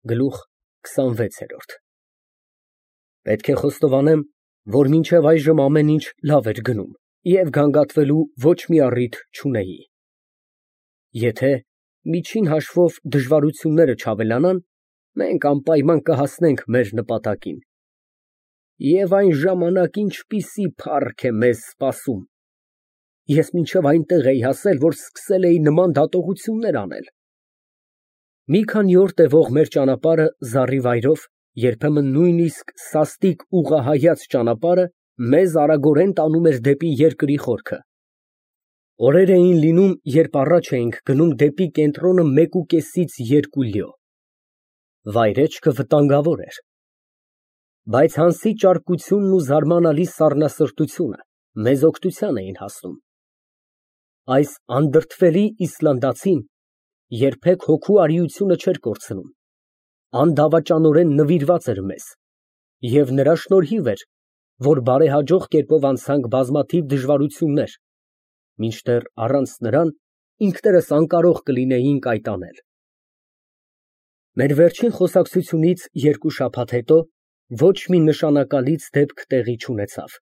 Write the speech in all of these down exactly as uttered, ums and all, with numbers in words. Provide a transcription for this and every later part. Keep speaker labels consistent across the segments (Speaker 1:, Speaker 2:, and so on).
Speaker 1: Գլուխ քսանվեց։ Պետք է խոստովանեմ, որ մինչև այժմ ամեն ինչ լավ էր գնում և գանգատվելու ոչ մի առիթ չունեի։ Եթե միջին հաշվով դժվարությունները չավելանան, մենք անպայման կհասնենք մեր նպատակին։ Եվ այն ժամանակ ինչպիսի փառք է մեզ սպասում։ Ես մինչև այնտեղ էի հասել, որ սկսել էի նման դատողություններ անել։ Մի քանի օր տևող մեր ճանապարհը զառիվայրով, երբեմն նույնիսկ սաստիկ ուղղահայաց ճանապարհը մեզ արագորեն տանում էր դեպի երկրի խորքը։ Օրեր էին լինում, երբ առաջ էինք գնում դեպի կենտրոնը մեկուկեսից երկու լյո։ Վայրեջքը վտանգավոր էր։ Բայց Հանսի ճարպկությունն ու զարմանալի սառնասրտությունը մեզ օգնության էին հասնում։ Այս անդրդվելի Իսլանդացին երբեք հոգու արիությունը չէր կորցնում, անդավաճանորեն նվիրված էր մեզ, և նրա շնորհիվ էր, որ բարեհաջող կերպով անցանք բազմաթիվ դժվարություններ, մինչդեռ առանց նրան ինքներս անկարող կլինեինք այդ անել։ Մեր վերջին խոսակցությունից երկու շաբաթ հետո ոչ մի նշանակալից դեպք տեղի չունեցավ։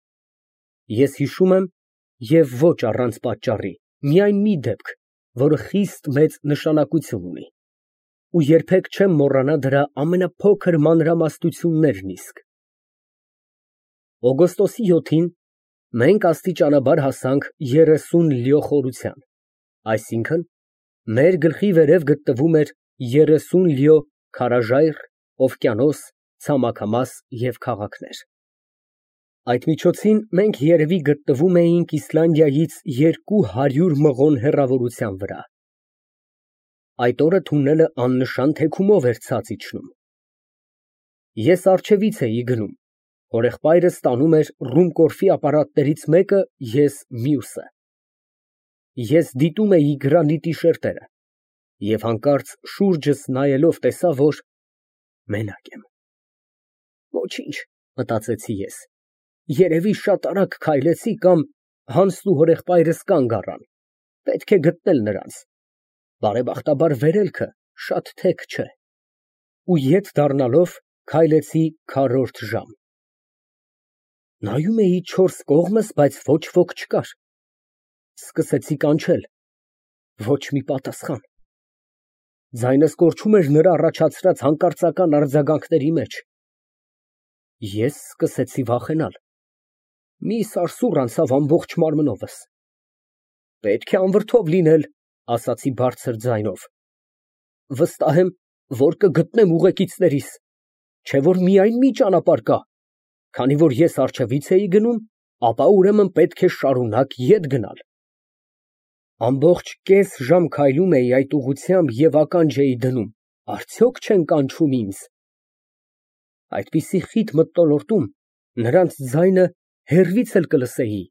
Speaker 1: Ես հիշում եմ, և ոչ առանց պատճառի, միայն մի դեպք, որը խիստ մեծ նշանակություն ունի, ու երբեք չեմ մոռանա դրա ամենափոքր մանրամասնություններն իսկ։ Օգոստոսի յոթին մենք աստիճանաբար հասանք երեսուն լյո խորության, այսինքն՝ մեր գլխի վերև գտնվում էր երեսուն լյո քարաժայռ, օվկիանոս, ցամաքամաս և քաղաքներ։ Այդ միջոցին մենք երևի գտնվում էինք Իսլանդիայից երկու հարյուր մղոն հեռավորության վրա։ Այդ օրը թունելը աննշան թեքումով էր ցած իջնում։ Ես առջևից էի գնում, հորեղբայրս տանում էր ռումկորֆի ապարատներից մեկը, ես մյուսը։ Ես դիտում էի գրանիտի շերտերը և հանկարծ շուրջս նայելով տեսա, որ մենակ եմ։ Ոչինչ, մտածեցի ես, երևի շատ արագ քայլեցի կամ Հանսն ու հորեղբայրս կանգ առան, պետք է գտնել նրանց, բարեբախտաբար վերելքը շատ թեք չէ, ու ետ դառնալով քայլեցի քառորդ ժամ։ Նայում էի չորս կողմս, բայց ոչ ոք չկար։ Սկսեցի կանչել, ոչ մի պատասխան։ Ձայնս կորչում էր նրա առաջացրած հանկարծական արձագանքների մեջ։ Ես սկսեցի վախենալ։ Մի սարսուռ անցավ ամբողջ մարմնովս։ Պետք է անվրդով լինել, ասացի բարձր ձայնով։ Վստահ եմ, որ կգտնեմ ուղեկիցներիս, չէ որ միայն մի ճանապարհ կա, քանի որ ես առջևից էի գնում, ապա ուրեմն պետք է շարունակ ետ գնալ։ Ամբողջ կես ժամ քայլում էի այդ ուղղությամբ և ականջ էի դնում, արդյոք չեն կանչում ինձ։ Այդպիսի խիտ մթնոլորտում նրանց ձայնը հեռվից էլ կլսեի։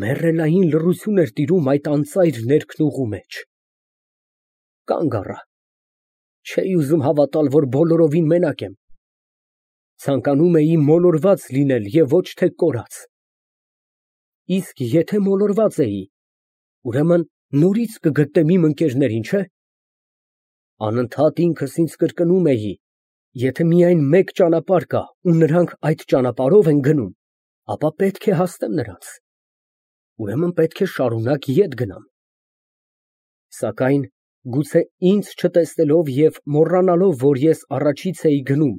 Speaker 1: Մեռելային լռություն էր տիրում այդ անծայր ներքնուղու մեջ։ Կանգ առա։ Չէի ուզում հավատալ, որ բոլորովին մենակ եմ։ Ցանկանում էի մոլորված լինել և ոչ թե կորած։ Իսկ եթե մոլորված էի, ուրեմն նորից կգտնեմ իմ ընկերներին, չէ՞։ Անընդհատ ինքս ինձ կրկնում էի. եթե միայն մեկ ճանապարհ կա ու նրանք այդ ճանապարհով են գնում, ապա պետք է հասնեմ նրանց, ուրեմն պետք է շարունակ ետ գնամ։ Սակայն գուցե ինձ չտեսնելով և մոռանալով, որ ես առաջից էի գնում,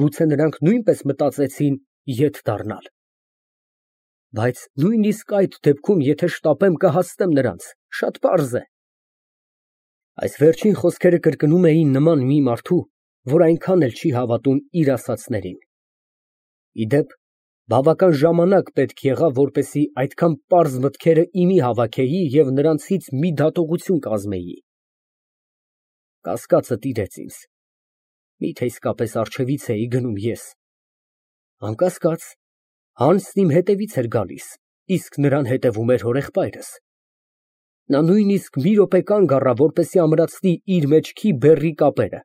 Speaker 1: գուցե նրանք նույնպես մտածեցին ետ դառնալ։ Բայց նույնիսկ այդ դեպքում, եթե շտապեմ, կհասնեմ նրանց, շատ պարզ է։ Այս վերջին խոսքերը կրկնում էի նման մի մարդու, որ այնքան էլ չի հավատում իր ասածներին։ Ի դեպ, բավական ժամանակ պետք եղավ, որպեսզի այդքան պարզ մտքերը իմի հավաքեի և նրանցից մի դատողություն կազմեի։ Կասկածը տիրեց ինձ. միթե իսկապես առջևից էի գնում ես։ Անկասկած, Հանսն իմ հետևից էր գալիս, իսկ նրան հետևում էր հորեղբայրս։ Նա նույնիսկ մի րոպե կանգ առավ, որպեսզի ամրացնի իր մեջքի բեռի կապերը։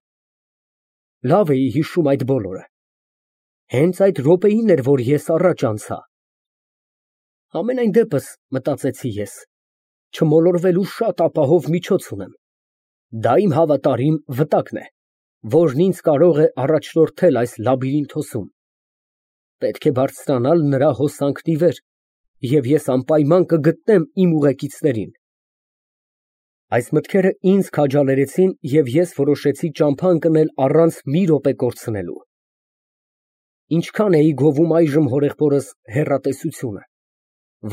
Speaker 1: Լավ էի հիշում այդ բոլորը։ Հենց այդ րոպեին էր, որ ես առաջ անցա։ Համենայն դեպս, մտածեցի ես, չմոլորվելու շատ ապահով միջոց ունեմ։ Դա իմ հավատարիմ վտակն է։ որն ինձ կարող է առաջնորդել այս լաբիրինթոսում։ Պետք է բարձրանալ նրա հոսանքն ի վեր, և ես անպայման կգտնեմ իմ ուղեկիցներին։ Այս մտքերը ինձ քաջալերեցին, և ես որոշեցի ճամփա ընկնել առանց մի րոպե կորցնելու։ Ինչքան էի գովում այժմ հորեղբորս հեռատեսությունը,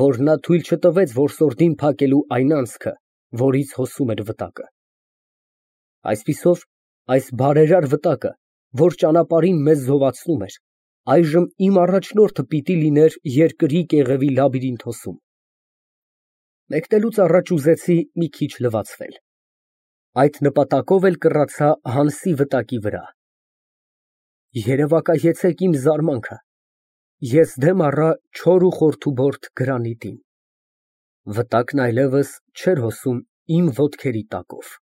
Speaker 1: որ նա թույլ չտվեց որսորդին փակելու այն անցքը, որից հոսում էր վտակը։ Այսպիսով, այս բարերար վտակը, որ ճանապարհին մեզ զովացնում էր, այժմ իմ առաջնորդը պիտի լիներ երկրի կեղևի լաբիրինթոսում։ Մեկնելուց առաջ ուզեցի մի քիչ լվացվել։ Այդ նպատակով էլ կռացա Հանսի վտակի վրա։ Երևակայեցեք իմ զարմանքը, ես դեմ առա չոր ու խորթուբորդ գրանիտին։ Վտակն այլևս չէր հոսում իմ ոտքերի տակով։